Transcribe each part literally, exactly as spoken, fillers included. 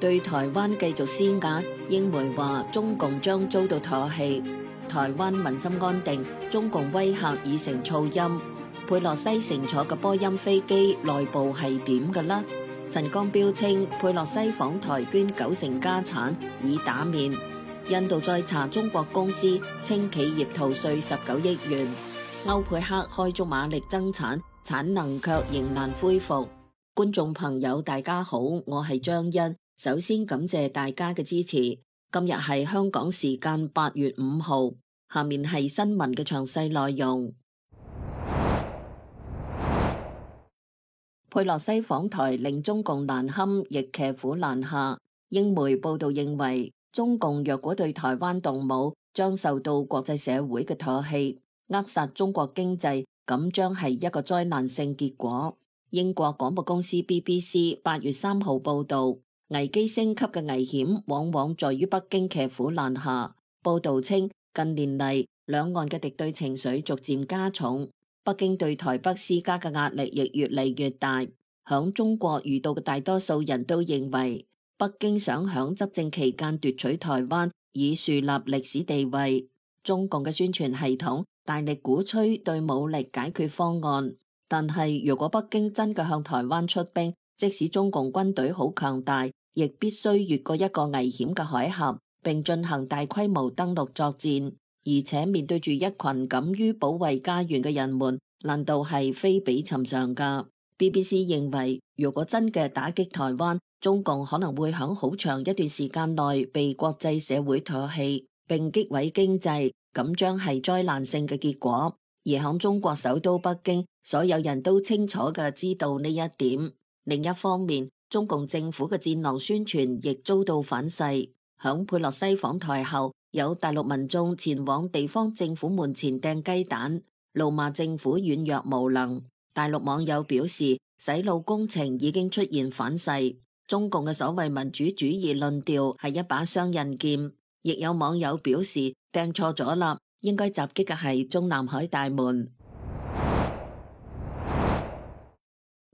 對台灣繼續施壓。英媒話中共將遭到唾棄，台灣民心安定，中共威嚇已成噪音。佩洛西乘坐嘅波音飛機內部係點嘅呢？陳光標稱佩洛西訪台捐九成家產以打面。印度再查中國公司，稱企業逃稅十九億元。歐佩克開足馬力增產，產能卻仍難恢復。觀眾朋友大家好，我係張欣，首先感謝大家嘅支持。今日係香港時間八月五號，下面係新聞嘅詳細內容。佩洛西訪台令中共難堪，亦騎虎難下。英媒報道認為，中共若果對台灣動武，將受到國際社會嘅唾棄，扼殺中國經濟，咁將係一個災難性結果。英國廣播公司 B B C 八月三號報道，危機升級嘅危險往往在於北京騎虎難下。報道稱，近年嚟兩岸嘅敵對情緒逐漸加重。北京對台北施加嘅壓力亦越嚟越大，響中國遇到嘅大多數人都認為，北京想響執政期間奪取台灣，以樹立歷史地位。中共嘅宣傳系統大力鼓吹對武力解決方案，但係如果北京真嘅向台灣出兵，即使中共軍隊好強大，亦必須越過一個危險嘅海峽，並進行大規模登陸作戰。而且面對住一群敢於保衛家園嘅人們，難度係非比尋常噶。B B C 認為，如果真嘅打擊台灣，中共可能會響好長一段時間內被國際社會唾棄，並擊毀經濟，咁將係災難性嘅結果。而響中國首都北京，所有人都清楚嘅知道呢一點。另一方面，中共政府嘅戰狼宣傳亦遭到反噬。響佩洛西訪台後，有大陸民眾前往地方政府門前掟雞蛋，怒罵政府軟弱無能。大陸網友表示，洗腦工程已經出現反噬，中共嘅所謂民主主義論調係一把雙刃劍。亦有網友表示，掟錯咗啦，應該襲擊嘅係中南海大門。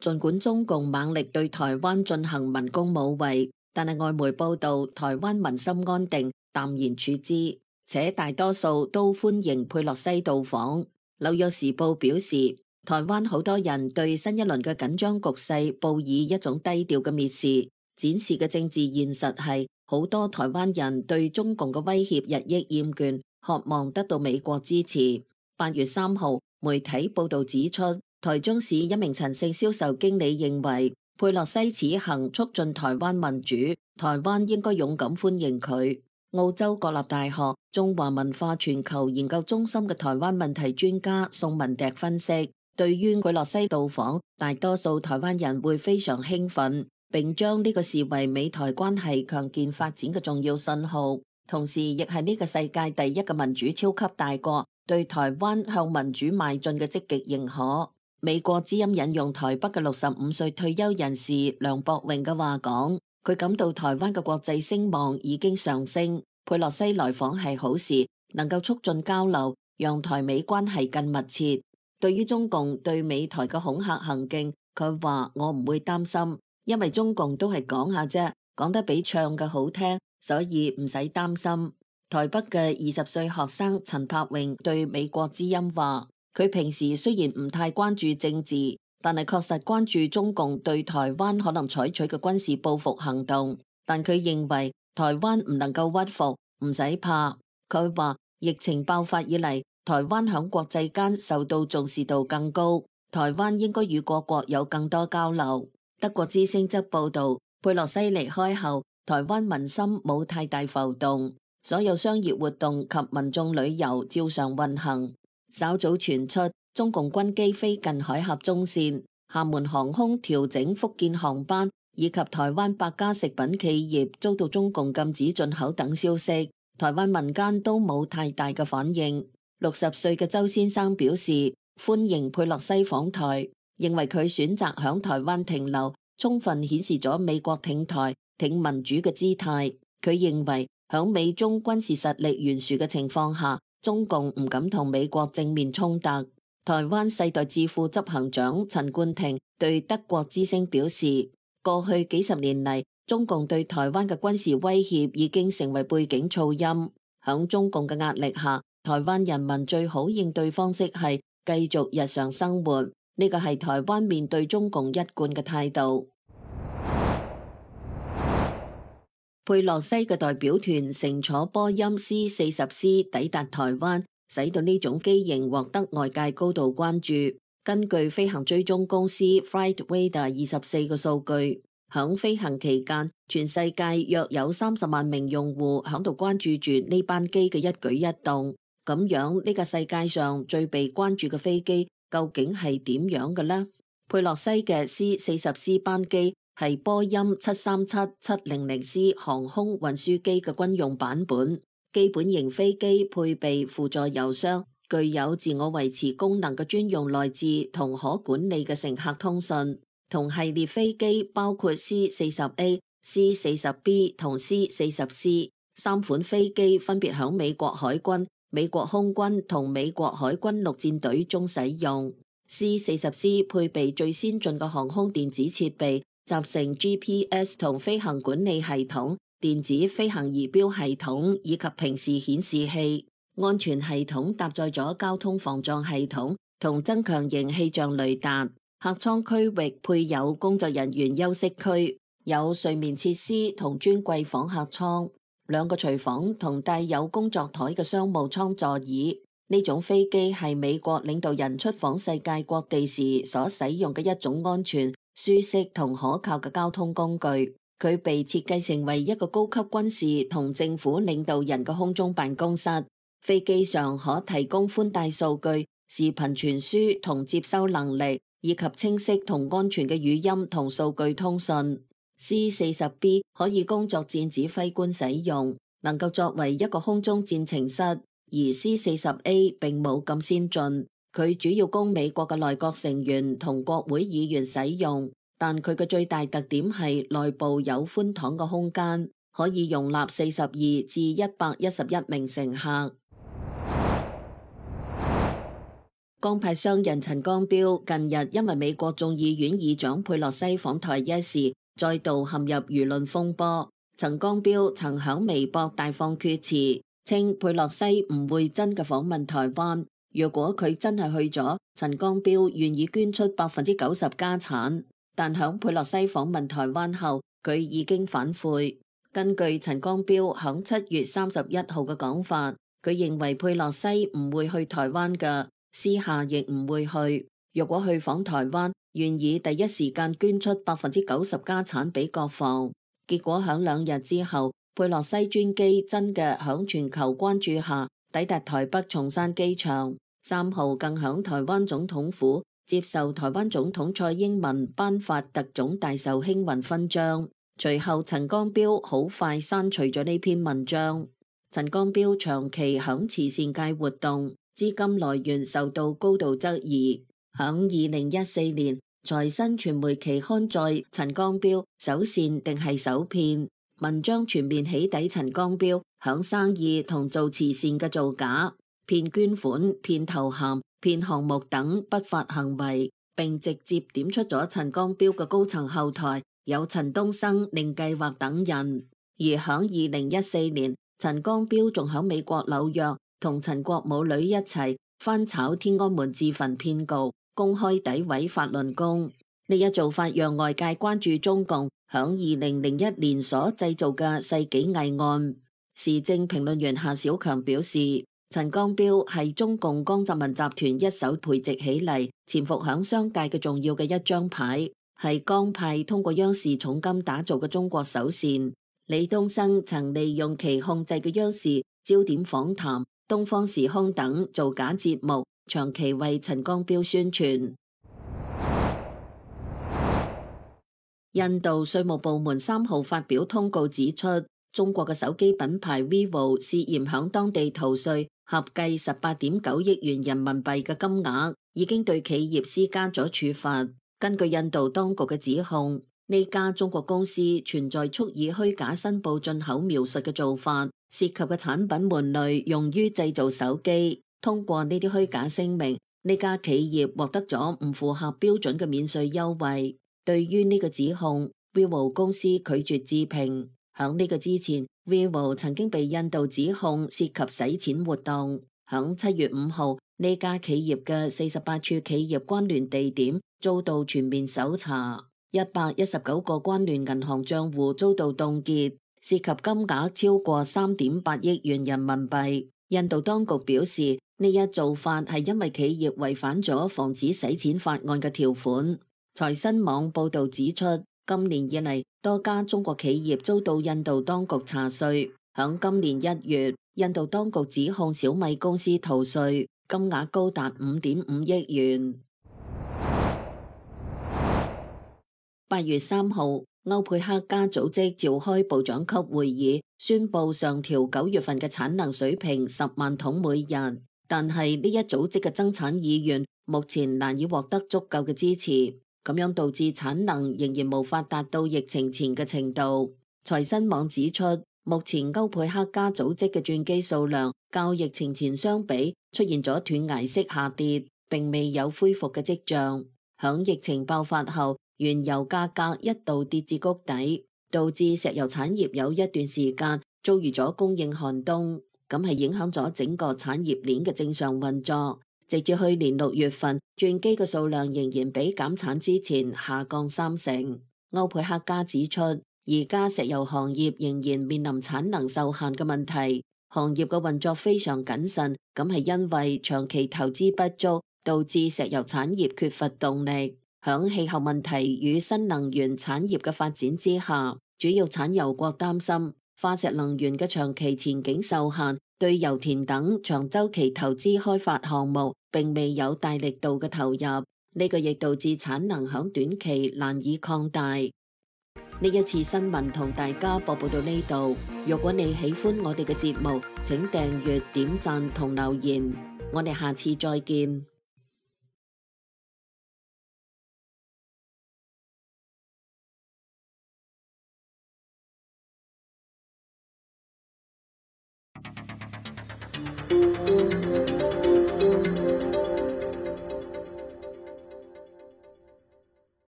儘管中共猛力對台灣進行民工武圍，但係外媒報道，台灣民心安定，淡然處之，且大多數都歡迎佩洛西到訪。紐約時報表示，台灣好多人對新一輪嘅緊張局勢報以一種低調嘅蔑視，展示嘅政治現實係好多台灣人對中共嘅威脅日益厭倦，渴望得到美國支持。八月三號，媒體報道指出，台中市一名陳姓銷售經理認為，佩洛西此行促進台灣民主，台灣應該勇敢歡迎佢。澳洲國立大學中華文化全球研究中心嘅台灣問題專家宋文迪分析，對於佩洛西到訪，大多數台灣人會非常興奮，並將呢個視為美台關係強健發展嘅重要信號，同時亦係呢個世界第一個民主超級大國對台灣向民主邁進嘅積極認可。美國之音引用台北嘅六十五歲退休人士梁博榮嘅話講，佢感到台灣嘅國際聲望已經上升，佩洛西來訪係好事，能夠促進交流，讓台美關係更密切。對於中共對美台嘅恐嚇行徑，佢話我唔會擔心，因為中共都係講下啫，講得比唱嘅好聽，所以唔使擔心。台北嘅二十歲學生陳柏榮對美國之音話，佢平時雖然唔太關注政治，但係確實關注中共對台灣可能採取嘅軍事報復行動。但佢認為台灣唔能夠屈服，唔使怕。佢話疫情爆發以嚟，台灣響國際間受到重視度更高，台灣應該與各國有更多交流。德國之聲則報道，佩洛西離開後，台灣民心冇太大浮動，所有商業活動及民眾旅遊照常運行。稍早傳出中共軍機飛近海峽中線，廈門航空調整福建航班，以及台灣百家食品企業遭到中共禁止進口等消息，台灣民間都冇太大嘅反應。六十歲嘅周先生表示歡迎佩洛西訪台，認為佢選擇響台灣停留，充分顯示咗美國挺台、挺民主嘅姿態。佢認為響美中軍事實力懸殊嘅情況下，中共唔敢同美國正面衝突。台灣世代智庫執行長陳冠廷對德國之聲表示，過去幾十年嚟，中共對台灣嘅軍事威脅已經成為背景噪音。響中共嘅壓力下，台灣人民最好應對方式係繼續日常生活，呢個係台灣面對中共一貫嘅態度。佩洛西嘅代表團乘坐波音 C 四十 C 抵達台灣，使到呢種機型獲得外界高度關注。根據飛行追蹤公司 Flightradar 二十四個數據，響飛行期間，全世界約有三十萬名用戶響度關注住呢班機嘅一舉一動。咁樣呢個世界上最被關注嘅飛機究竟係點樣嘅呢？佩洛西嘅 C 四十 C 班機係波音七三七七零零 C 航空運輸機嘅軍用版本，基本型飛機配備輔助油箱，具有自我維持功能嘅專用內置同可管理嘅乘客通訊。同系列飛機包括 C 四十 A、C 四十 B 同 C 四十 C 三款飛機，分別響美國海軍、美國空軍同美國海軍陸戰隊中使用。C 四十 C 配備最先進嘅航空電子設備，集成 G P S 同飛行管理系統、電子飛行儀表系統以及平視顯示器。安全系統搭載咗交通防撞系統同增強型氣象雷達。客艙區域配有工作人員休息區，有睡眠設施同尊貴訪客艙，兩個廚房同帶有工作台嘅商務艙座椅。呢種飛機係美國領導人出訪世界各地時所使用嘅一種安全、舒適同可靠嘅交通工具。佢被設計成為一個高級軍事同政府領導人嘅空中辦公室。飛機上可提供寬帶數據、視頻傳輸同接收能力，以及清晰同安全嘅語音同數據通訊。C 四十 B 可以供作戰指揮官使用，能夠作為一個空中戰情室，而 C 四十 A 並冇咁先進，佢主要供美國嘅內閣成員同國會議員使用，但佢嘅最大特點係內部有寬敞嘅空間，可以容納四十二至一百一十一名乘客。江派商人陳光標近日因為美國眾議院議長佩洛西訪台一事，再度陷入輿論風波。陳光標曾響微博大放厥詞，稱佩洛西唔會真嘅訪問台灣。若果佢真係去咗，陳光標願意捐出百分之九十家產。但響佩洛西訪問台灣後，佢已經反悔。根據陳光標響七月三十一號嘅講法，佢認為佩洛西唔會去台灣㗎。私下亦唔會去，若果去訪台灣，願意第一時間捐出百分之九十家產俾國防。結果響兩日之後，佩洛西專機真嘅響全球關注下抵達台北松山機場，三號更響台灣總統府接受台灣總統蔡英文頒發特種大受興運勳章。隨後陳光標好快刪除咗呢篇文章。陳光標長期響慈善界活動，資金來源受到高度質疑。響二零一四年，財新傳媒期刊載陳光標首善定係首騙，文章全面起底陳光標響生意同做慈善嘅造假、騙捐款、騙頭銜、騙項目等不法行為，並直接點出咗陳光標嘅高層後台有陳東生、寧計劃等人。而響二零一四年，陳光標仲響美國紐約同陳國母女一齊翻炒天安門自焚騙局，公開詆毀法輪功。呢一做法讓外界關注中共響二零零一年所製造嘅世紀偽案。時政評論員夏小強表示，陳光標係中共江澤民集團一手培植起嚟，潛伏響商界嘅重要嘅一張牌，係江派通過央視重金打造嘅中國首善。李東生曾利用其控制嘅央視焦點訪談、東方時空等造假節目，長期為陳光標宣傳。印度稅務部門三號發表通告指出，中國嘅手機品牌 vivo 涉嫌響當地逃稅，合計十八點九億元人民幣嘅金額，已經對企業施加咗處罰。根據印度當局嘅指控，呢家中國公司存在蓄意虛假申報進口描述嘅做法，涉及嘅產品門類用於製造手機。通過呢啲虛假聲明，呢家企業獲得咗唔符合標準嘅免稅優惠。對於呢個指控 Vivo 公司拒絕置評。響呢個之前 Vivo 曾經被印度指控涉及洗錢活動。響七月五號，呢家企業嘅四十八處企業關聯地點遭到全面搜查，一百一十九個關聯銀行賬戶遭到凍結，涉及金額超過三點八億元人民幣。印度當局表示，呢一做法係因為企業違反咗防止洗錢法案嘅條款。財新網報導指出，今年以嚟多家中國企業遭到印度當局查稅。響今年一月，印度當局指控小米公司逃稅，金額高達五點五億元。八月三號，歐佩克加組織召開部長級會議，宣布上調九月份嘅產能水平十萬桶每日。但係呢一組織嘅增產意願目前難以獲得足夠嘅支持，咁樣導致產能仍然無法達到疫情前嘅程度。財新網指出，目前歐佩克加組織嘅鑽機數量較疫情前相比出現咗斷崖式下跌，並未有恢復嘅跡象。響疫情爆發後，原油價格一度跌至谷底，導致石油產業有一段時間遭遇咗供應寒冬，咁係影響咗整個產業鏈嘅正常運作。直至去年六月份，鑽機嘅數量仍然比減產之前下降三成。歐佩克加指出，而家石油行業仍然面臨產能受限嘅問題，行業嘅運作非常謹慎，咁係因為長期投資不足，導致石油產業缺乏動力。響氣候問題與新能源產業嘅發展之下，主要產油國擔心化石能源嘅長期前景受限，對油田等長周期投資開發項目並未有大力度嘅投入，呢個亦導致產能響短期難以擴大。呢一次新聞同大家播報到呢度，如果你喜歡我哋嘅節目，請訂閱、點讚同留言，我哋下次再見。